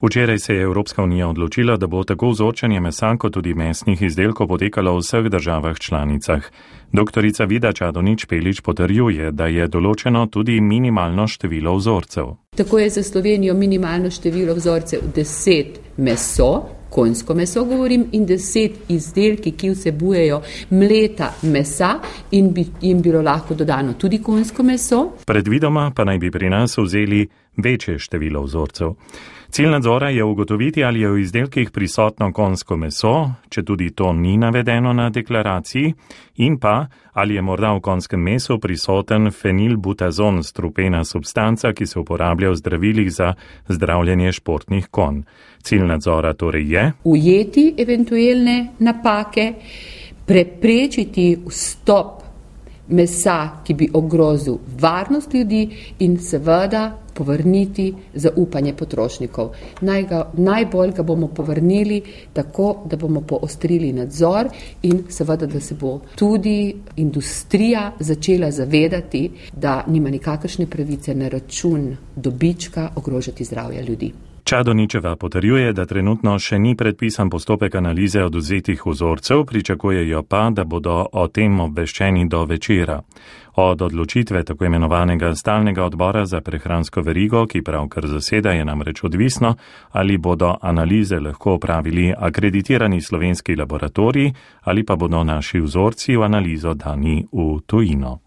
Včeraj se je Evropska unija odločila, da bo tako vzorčenje mesa kot tudi mesnih izdelkov potekalo v vseh državah članicah. Doktorica Vida Čadonič-Špelič potrjuje, da je določeno tudi minimalno število vzorcev. Tako je za Slovenijo minimalno število vzorcev 10 meso, konjsko meso govorim, in 10 izdelki, ki vsebujejo mleta mesa in bi jim bilo lahko dodano tudi konjsko meso. Predvidoma pa naj bi pri nas vzeli večje število vzorcev. Cilj nadzora je ugotoviti, ali je v izdelkih prisotno konjsko meso, če tudi to ni navedeno na deklaraciji, in pa, ali je morda v konjskem mesu prisoten fenilbutazon, strupena substanca, ki se uporablja v zdravilih za zdravljenje športnih konj. Cilj nadzora torej je ujeti eventualne napake, preprečiti vstop mesa, ki bi ogrozil varnost ljudi, in seveda povrniti zaupanje potrošnikov. Najbolj ga bomo povrnili tako, da bomo poostrili nadzor in seveda, da se bo tudi industrija začela zavedati, da nima nikakršne pravice na račun dobička ogrožati zdravja ljudi. Čadoničeva potrjuje, da trenutno še ni predpisan postopek analize odvzetih vzorcev, pričakujejo pa, da bodo o tem obveščeni do večera. Od odločitve tako imenovanega stalnega odbora za prehransko verigo, ki pravkar zaseda, je namreč odvisno, ali bodo analize lahko opravili akreditirani slovenski laboratoriji ali pa bodo naši vzorci v analizo dani v tujino.